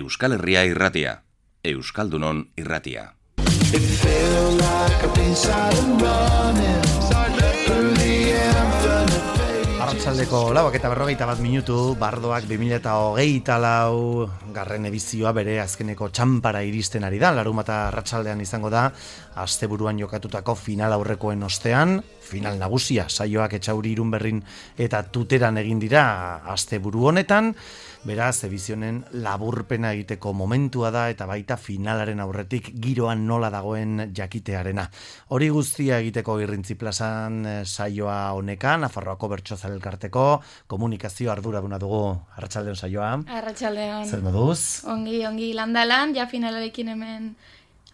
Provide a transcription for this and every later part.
Euskal Herria irratia, Euskaldunon irratia. Arratsaldeko 4:41 Bardoak 2024 garren edizioa bere azkeneko txanpara iristen ari da. Larunbata arratsaldean izango da asteburuan jokatutako final aurrekoen ostean, final nagusia saioak Etxauri, Irunberrin eta Tuteran egin dira asteburu honetan. Beraz, edizionen laburpena egiteko momentua da eta baita finalaren aurretik giroan nola dagoen jakitearena. Hori guztia egiteko Irrintzi plazan saioa honekan, Nafarroako Bertsozale Elkarteko komunikazio arduraduna dugu. Arratsaldeon saioa. Arratsaldeon. Zer moduz? Ongi landalan, ja finalarekin hemen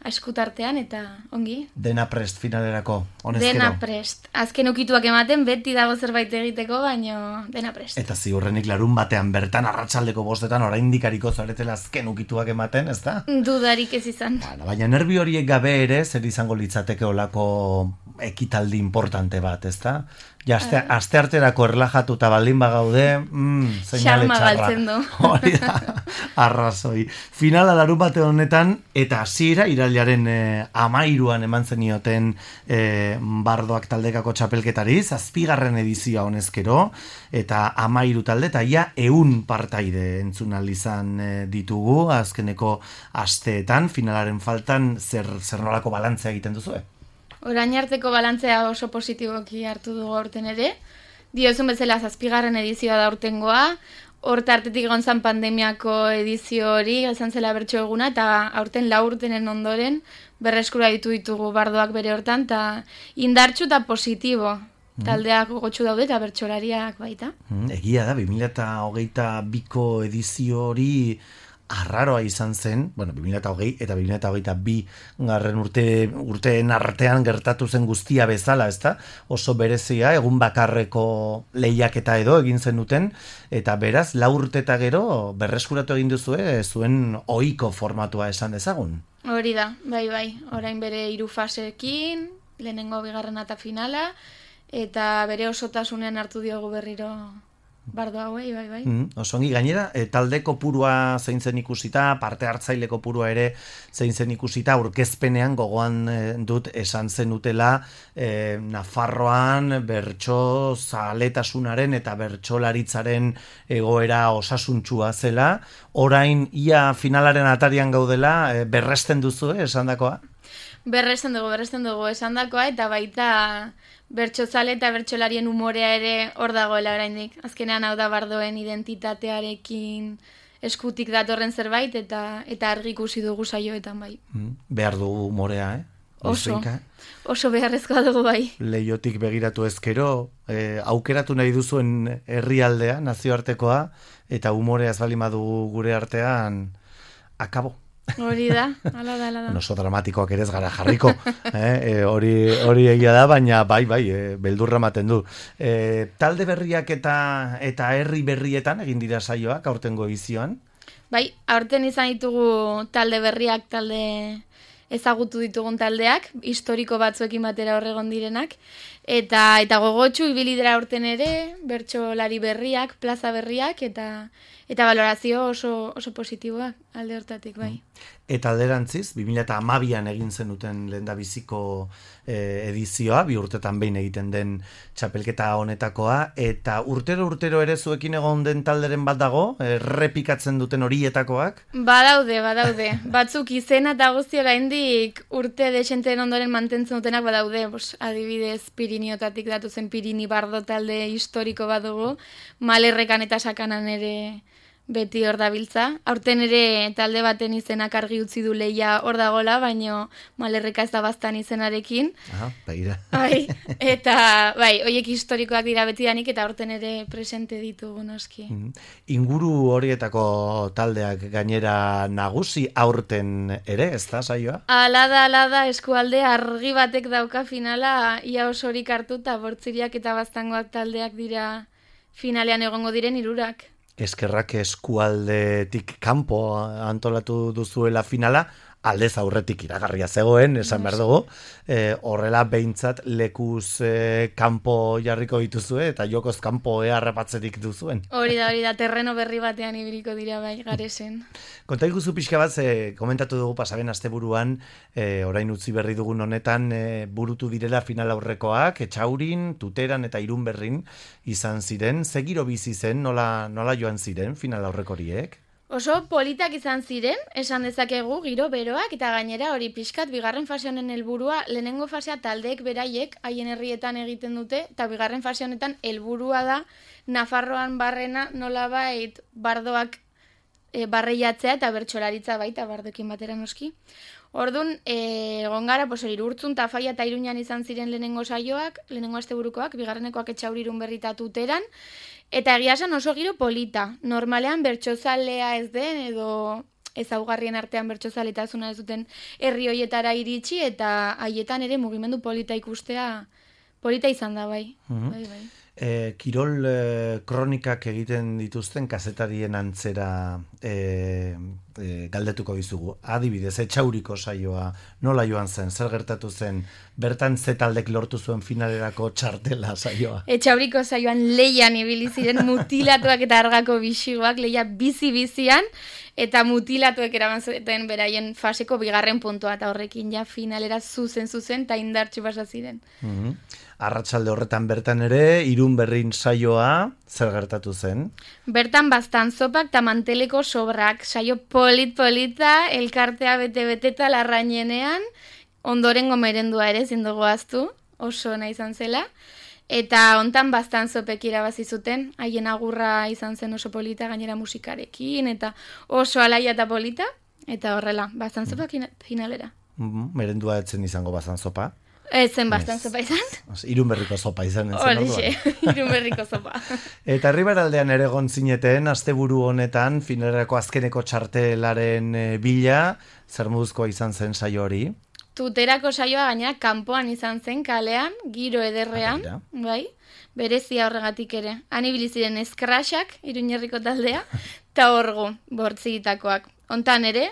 eskutartean eta ongi. Dena prest finalerako, honezkero? Dena prest. Azken ukituak ematen, beti dago zerbait egiteko, baino dena prest. Eta ziurrenik larun batean bertan arratsaldeko 5:00 oraindik ariko zaretela azken ukituak ematen, ezta? Dudarik ez izan. Baina nervi horiek gabe ere, zer izango litzateke olako ekitaldi importante bat, ezta? Ja, aste arterako erlajatuta baldin bagaude, seinale Xarma txarra. galtzen du. Hori da, arrazoi. Finala larun bate honetan, eta hasiera irailaren 13an eman zenioten Bardoak taldekako txapelketari, 7. edizioa honezkero, eta 13 talde, eta ia 100 partaide entzun ahal izan ditugu, azkeneko asteetan, finalaren faltan, zer nolako balantzea egiten duzue? Orain arteko balantzea oso positiboki hartu dugu aurten ere. Diozun bezala 7. edizioa da aurtengoa. Horta artetik egon zan pandemiako edizio hori, izan zela bertso eguna, eta aurten 4 urtenen ondoren berreskura ditugu Bardoak bere hortan, eta indartxu eta positibo. Taldeak gogotsu daude eta bertsolariak baita. Egia da, 2022ko edizio hori arraroa izan zen, 2020 eta 2022 garren urteen artean gertatu zen guztia bezala, ezta? Oso berezia, egun bakarreko lehiaketa edo egin zen duten, eta beraz, 4 urte eta gero berreskuratu egin duzue, zuen ohiko formatua esan dezagun. Hori da, bai, orain bere 3 faseekin, lehenengo, bigarrena eta finala, eta bere osotasunean hartu diogu berriro Bardo hauei, bai. Osongi, gainera, talde kopurua zein zen ikusita, parte hartzaile kopurua ere zein zen ikusita, aurkezpenean gogoan dut esan zenutela Nafarroan bertso zaletasunaren eta bertsolaritzaren egoera osasuntsua zela. Orain, ia finalaren atarian gaudela, berresten duzu, esandakoa? Berresten dugu esandakoa, eta baita bertsozale eta bertsolarien umorea ere hor dagoela oraindik. Azkenean hau da Bardoen identitatearekin eskutik datorren zerbait eta argi ikusi dugu saioetan bai. Behar dugu umorea, Oso beharrezkoa dugu bai. Leiotik begiratu ezkero, aukeratu nahi duzuen herrialdea, nazioartekoa, eta umorea ez bali badugu gure artean, akabo. Hori da, ala da. Oso dramatikoak ere ez gara jarriko, hori egia da, baina bai, beldurra ematen du. Talde berriak eta herri berrietan egin dira saioak aurtengo edizioan? Bai, aurten izan ditugu talde berriak, talde ezagutu ditugun taldeak, historiko batzuekin batera horregon direnak, eta gogotsu ibili dira aurten ere, bertsolari berriak, plaza berriak, eta balorazio oso positiboak alde hortatik, bai. Eta alderantziz, 2012an egin zenuten lehendabiziko edizioa, 2 urtetan behin egiten den txapelketa honetakoa, eta urtero ere zuekin egon den talderen bat dago, errepikatzen duten horietakoak? Badaude. Batzuk izena eta guzti oraindik urte desenteen ondoren mantentzen dutenak badaude, adibidez Piriniotatik datu zen Pirini Bardo talde historiko bat dugu, Malerrekan eta Sakanan ere beti hor dabiltza. Aurten ere talde baten izenak argi utzi du lehia hor dagola, baino Malerreka ez da baztan izenarekin. Begira. Bai, eta bai, horiek historikoak dira betidanik eta aurten ere presente ditugu noski. Inguru horietako taldeak gainera nagusi aurten ere, ez da saioa? Ala da, eskualde argi batek dauka finala, ia osorik hartu eta Bortziriak eta Baztangoak taldeak dira finalean egongo diren 3. Eskerrak eskualdetik kanpo antolatu duzuela finala, aldez aurretik iragarria zegoen, esan behar dugu, horrela behintzat lekuz kanpo jarriko dituzue, eta jokoz kanpo harrapatzerik duzuen. Hori da, terreno berri batean ibiliko dira bai, Garesen. Konta iguzu pixka bat, komentatu dugu pasaben asteburuan, orain utzi berri dugun honetan, burutu direla final aurrekoak, Etxaurin, Tuteran eta Irunberrin izan ziren, ze giro bizi zen, nola joan ziren final aurreko horiek? Oso politak izan ziren, esan dezakegu giro beroak, eta gainera hori pixkat bigarren fase honen helburua, lehenengo fasea taldeek beraiek haien herrietan egiten dute, eta bigarren fase honetan helburua da Nafarroan barrena nolabait bardoak barreiatzea eta bertsolaritza baita bardokin batera noski. Orduan, egon gara, Urtzun, Tafaia eta Iruñan izan ziren lehenengo saioak, lehenengo asteburukoak, bigarrenekoak Etxauri, Irunberri eta Tuteran, eta egia esan oso giro polita. Normalean bertsozalea ez den, edo ezaugarrien artean bertsozaletasuna ez duten herri hoietara iritsi, eta haietan ere mugimendu polita ikustea polita izan da bai. Bai. Kirol kronikak egiten dituzten kazetarien antzera galdetuko dizugu. Adibidez, Etxauriko saioa nola joan zen, zer gertatu zen, bertan ze taldek lortu zuen finalerako txartela saioa? Etxauriko saioan leian ibili ziren mutilatuak eta argako bisigoak, leia bizi-bizian, eta mutilatuek eraman zuten beraien faseko bigarren puntua, eta horrekin ja finalera zuzen, eta indartsu basa ziren. Arratsalde horretan bertan ere, Irunberrin saioa, zer gertatu zen? Bertan bastan zopak eta manteleko sobrak, saio polita, elkartea bete-bete eta larrainenean, ondorengo merendua ere zindugu aztu, oso ona izan zela, eta hontan bastan zopek irabazi zuten, haien agurra izan zen oso polita, gainera musikarekin, eta oso alaia eta polita, eta horrela, bastan zopak finalera. Merendua etzen izango bastan zopa? Ez zen bastan zopa izan. Irunberriko zopa izan. Horixe, Irunberriko zopa. Eta Herriberaldean ere egon zineten, asteburu honetan, finalerako azkeneko txartelaren bila, zer moduzkoa izan zen saio hori? Tuterako saioa gainera kanpoan izan zen, kalean, giro ederrean, bai, berezia horregatik ere. Han ibili ziren eskraxak, Iruñerriko taldea, eta orgu, bortzigitakoak. Hontan ere,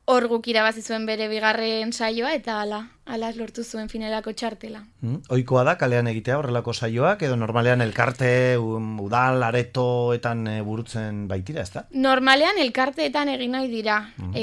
orguk irabazi zuen bere bigarren saioa, eta ala lortu zuen finalako txartela. Ohikoa da kalean egitea horrelako saioak, edo normalean elkarte, udal, aretoetan burutzen baitira, ezta? Normalean elkarteetan egin nahi dira.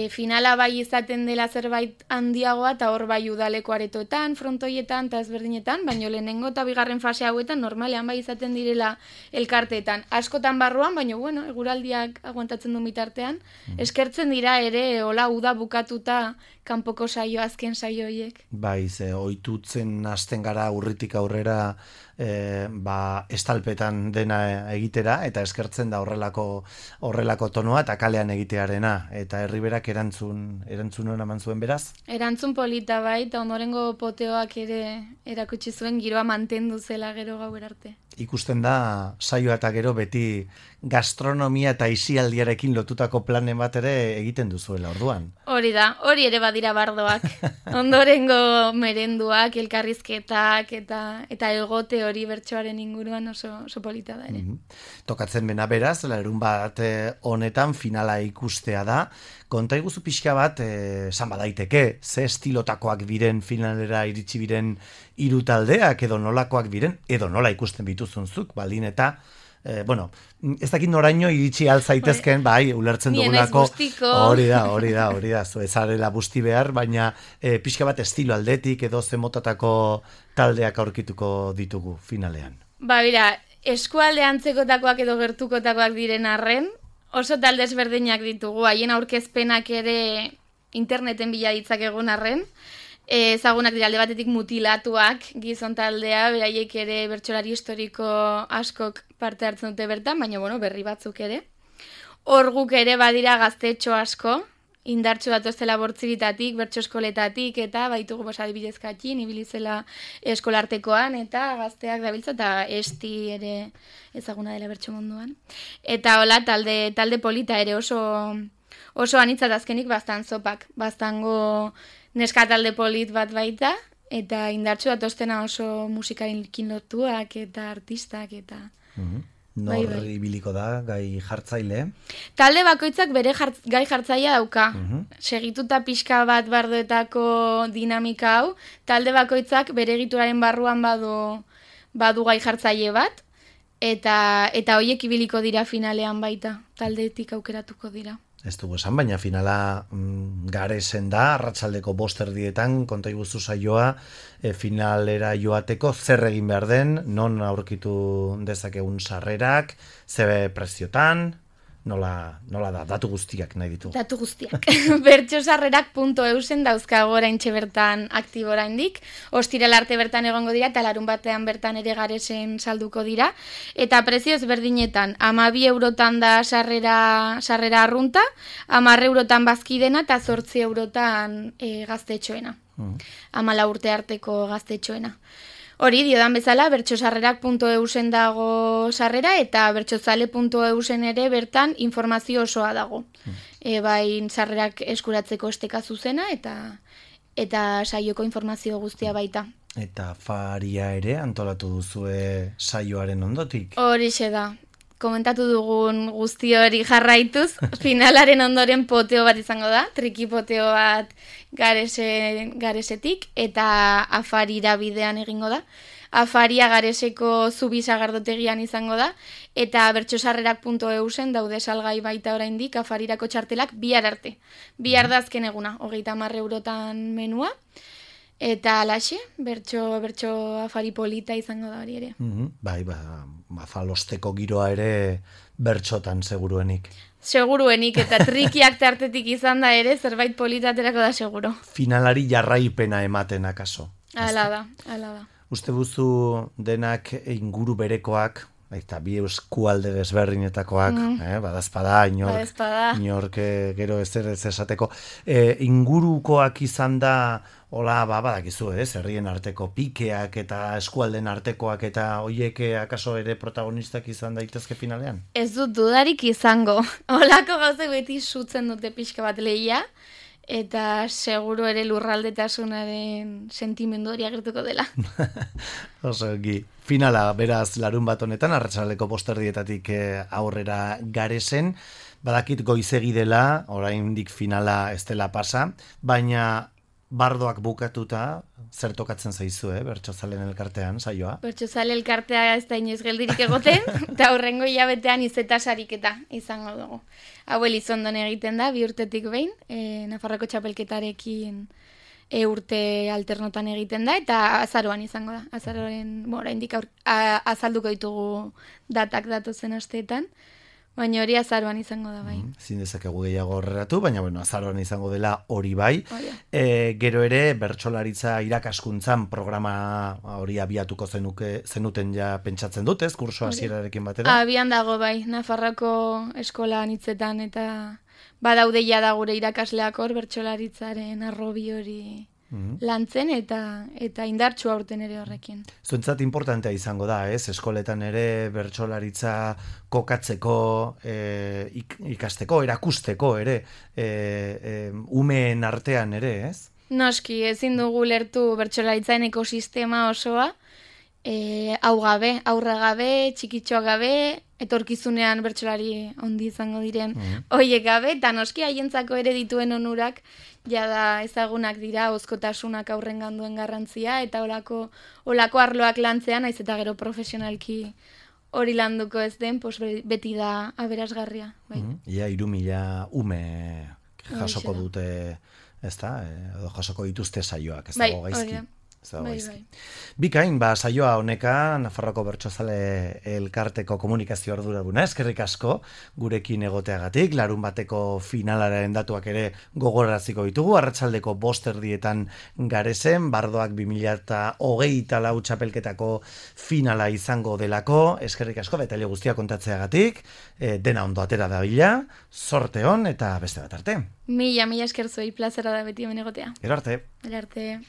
Finala bai izaten dela zerbait handiagoa, eta hor bai udaleko aretoetan, frontoietan, eta ezberdinetan, baina lehenengo eta bigarren fase hauetan normalean bai izaten direla elkarteetan. Askotan barruan, baina bueno, eguraldiak aguantatzen du bitartean, eskertzen dira ere, hola uda bukatuta kanpoko saio, azken saio horiek. Bai, ohitutzen hasten gara urritik aurrera estalpetan dena egitera, eta eskertzen da horrelako tonoa eta kalean egitearena, eta Herriberak erantzun hona eman zuen beraz? Erantzun polita bai, eta ondorengo poteoak ere erakutsi zuen giroa mantendu zela gero gauer arte. Ikusten da, saioa eta gero beti gastronomia eta isialdiarekin lotutako planen bat ere egiten duzuela orduan. Hori da, hori ere badira bardoak. Ondorengo merenduak, elkarrizketak eta egote hori bertsoaren inguruan oso polita da ere. Tokatzen bena beraz, larun bat honetan finala ikustea da. Konta iguzu pixka bat, esan badaiteke, ze estilotakoak diren finalera iritsi biren hiru taldeak, edo nolakoak diren, edo nola ikusten bituzunzuk, baldin eta ez dakit noraino iritsi alzaitezken, bai, ulertzen dugunako. Hori da, ezarela busti behar, baina pixka bat estilo aldetik edo zemotatako taldeak aurkituko ditugu finalean. Ba, bera, eskualde antzekotakoak edo gertukotakoak diren arren, oso talde ezberdinak ditugu, haien aurkezpenak ere interneten bila ditzakegun arren, ezagunak dira alde batetik mutilatuak gizon taldea, beraiek ere bertsolari historiko askok parte hartzen dute bertan, baina berri batzuk ere. Orguk ere badira gaztetxo asko, indartsu datozela bortziritatik, bertso eskoletatik, eta baitugu adibidez Katxin, ibilizela eskolartekoan, eta gazteak dabiltza, eta esti ere ezaguna dela bertso munduan. Eta hola, talde polita ere oso anitzat azkenik bastan zopak, bastango neska talde polit bat baita, eta indartsu datoztena oso musikarekin lotuak eta artistak, eta Nor ibiliko da, gai jartzaile? Talde bakoitzak bere gai jartzailea dauka. Segituta pixka bat bardoetako dinamika hau, talde bakoitzak bere egituraren barruan badu gai jartzaile bat, eta horiek ibiliko dira finalean baita, taldeetik aukeratuko dira. Ez dugu esan, baina finala Garesen da, arratsaldeko 5:00 konta iguzu saioa, finalera joateko zer egin behar den, non aurkitu dezakegun sarrerak, ze preziotan, nola da, datu guztiak nahi ditu. Datu guztiak. Bertsosarrerak.eusen dauzkago oraintxe bertan aktibo oraindik. Ostiral arte bertan egongo dira eta larunbatean bertan ere Garesen salduko dira. Eta prezio ezberdinetan, 12 eurotan da sarrera arrunta, 10 eurotan bazkidena eta 8 eurotan gaztetxoena. 14 urte arteko gaztetxoena. Hori, diodan bezala, bertsosarrerak.eusen dago sarrera eta bertsozale.eusen ere bertan informazio osoa dago. Bai, sarrerak eskuratzeko esteka zuzena eta saioko informazio guztia baita. Eta afaria ere antolatu duzue saioaren ondotik? Horixe da. Komentatu dugun guzti hori jarraituz, finalaren ondoren poteo bat izango da, triki poteo bat Garesetik, eta afarira bidean egingo da. Afaria Gareseko Zubi sagardotegian izango da, eta bertsosarrerak.eusen daude salgai baita oraindik afarirako txartelak bihar arte. Bihar da azken eguna, 30 eurotan menua. Eta alaxe, bertso afari polita izango da hori ere. Bai, afalosteko giroa ere bertsotan seguruenik. Seguruenik, eta trikiak tartetik izan da ere, zerbait politaterako da seguro. Finalari jarraipena ematen akaso. Hala da. Uste buzu denak inguru berekoak, eta bi eskualde desberdinetakoak, badazpada, inork gero ez esateko, ingurukoak izan da, hola, badakizu, herrien arteko pikeak eta eskualden artekoak eta hoiek akaso ere protagonistak izan daitezke finalean? Ez dut dudarik izango. Holako gauzek beti sutzen dute pixka bat lehia, eta seguro ere lurraldetasunaren sentimendu hori agertuko dela. Osoki. Finala, beraz, larun bat honetan, arratsaldeko 5:00 aurrera Garesen, badakit goizegi dela, oraindik finala ez dela pasa, baina bardoak bukatuta, zer tokatzen zaizu, Bertsozalen elkartean, saioa? Bertsozale elkartea ez da inoiz geldirik egoten, eta horrengo hilabetean izeta sariketa izango dugu. Hau Elizondon egiten da, 2 urtetik behin, Nafarroko txapelketarekin urte alternotan egiten da, eta azaroan izango da. Azaroaren, oraindik azalduko ditugu datak datozen asteetan, baina hori azaroan izango da bai. Zin dezakegu gehiago horreratu, baina azaroan izango dela hori bai. Gero ere, bertsolaritza irakaskuntzan programa hori abiatuko zenuten ja pentsatzen dut, ez? Kurso hasierarekin batera? Abian dago bai, Nafarroko eskola hitzetan eta badaude ja da gure irakasleak hor bertsolaritzaren arrobi hori lantzen eta indartsu aurten ere horrekin. Zuentzat importantea izango da, ez? Eskoletan ere bertsolaritza kokatzeko, ikasteko, erakusteko ere, umeen artean ere, ez? Noski, ezin dugu lertu bertsolaritzaren ekosistema osoa, hau gabe, aurra gabe, txikitxoa gabe, etorkizunean bertsolari handi izango diren hoiek gabe, eta noski haientzako ere dituen onurak jada ezagunak dira, ozkotasunak aurrengan duen garrantzia, eta olako arloak lantzean, naiz eta gero profesionalki hori landuko ez den, beti da aberasgarria. Ia 3.000 ume jasoko dute, ez da, edo jasoko dituzte saioak, ez dago gaizki. Bikain, saioa honeka, Nafarroko Bertsozale elkarteko komunikazio arduraduna, eskerrik asko gurekin egoteagatik, larun bateko finalaren datuak ere gogoraziko ditugu, arratsaldeko 5:00 Garesen, bardoak 2024 txapelketako finala izango delako, eskerrik asko, detaile guztia kontatzeagatik, dena ondo atera da bila, zorte hon eta beste bat arte. Mila esker zuei, plazera da beti hemen egotea. Gero arte. Gero arte.